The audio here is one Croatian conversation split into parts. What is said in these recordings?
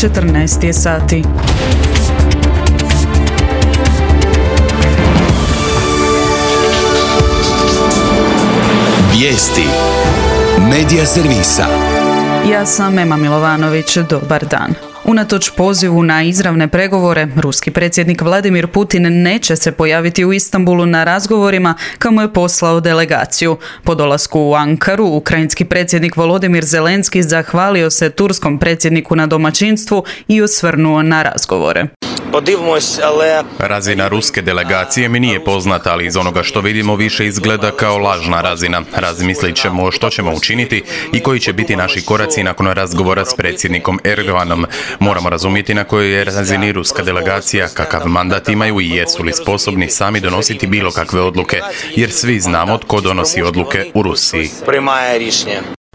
14 je sati. Vijesti Medija servisa. Ja sam Ema Milovanović, dobar dan. Unatoč pozivu na izravne pregovore, ruski predsjednik Vladimir Putin neće se pojaviti u Istanbulu na razgovorima kamo je poslao delegaciju. Po dolasku u Ankaru, ukrajinski predsjednik Volodimir Zelenski zahvalio se turskom predsjedniku na domaćinstvu i osvrnuo na razgovore. Razina ruske delegacije mi nije poznata, ali iz onoga što vidimo više izgleda kao lažna razina. Razmislit ćemo što ćemo učiniti i koji će biti naši koraci nakon razgovora s predsjednikom Erdoganom. Moramo razumjeti na kojoj je razini ruska delegacija, kakav mandat imaju i jesu li sposobni sami donositi bilo kakve odluke, jer svi znamo tko donosi odluke u Rusiji.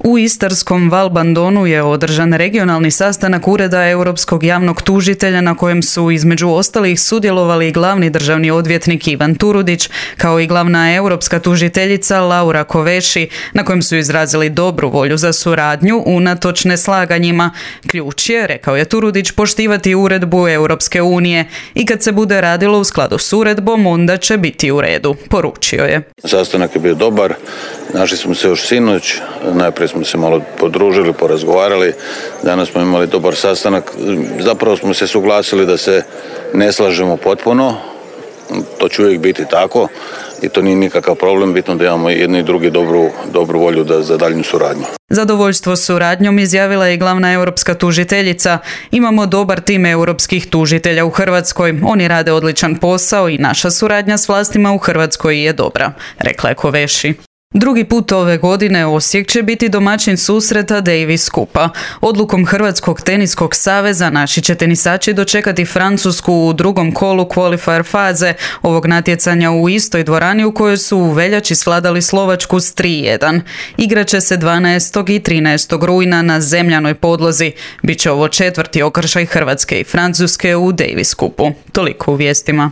U istarskom Valbandonu je održan regionalni sastanak Ureda Europskog javnog tužitelja na kojem su između ostalih sudjelovali glavni državni odvjetnik Ivan Turudić kao i glavna europska tužiteljica Laura Kövesi, na kojem su izrazili dobru volju za suradnju unatoč neslaganjima. Ključ je, rekao je Turudić, poštivati uredbu Europske unije i kad se bude radilo u skladu s uredbom, onda će biti u redu, poručio je. Sastanak je bio dobar, našli smo se još sinoć, najprije smo se malo podružili, porazgovarali, danas smo imali dobar sastanak, zapravo smo se suglasili da se ne slažemo potpuno, to će uvijek biti tako i to nije nikakav problem, bitno da imamo jedni i drugi dobru volju za daljnju suradnju. Zadovoljstvo suradnjom izjavila je glavna europska tužiteljica. Imamo dobar tim europskih tužitelja u Hrvatskoj. Oni rade odličan posao i naša suradnja s vlastima u Hrvatskoj je dobra, rekla je Kövesi. Drugi put ove godine Osijek će biti domaćin susreta Davis Cupa. Odlukom Hrvatskog teniskog saveza naši će tenisači dočekati Francusku u drugom kolu qualifier faze ovog natjecanja u istoj dvorani u kojoj su u veljači svladali Slovačku s 3:1. Igraće se 12. i 13. rujna na zemljanoj podlozi. Biće ovo četvrti okršaj Hrvatske i Francuske u Davis Cupu. Toliko u vijestima.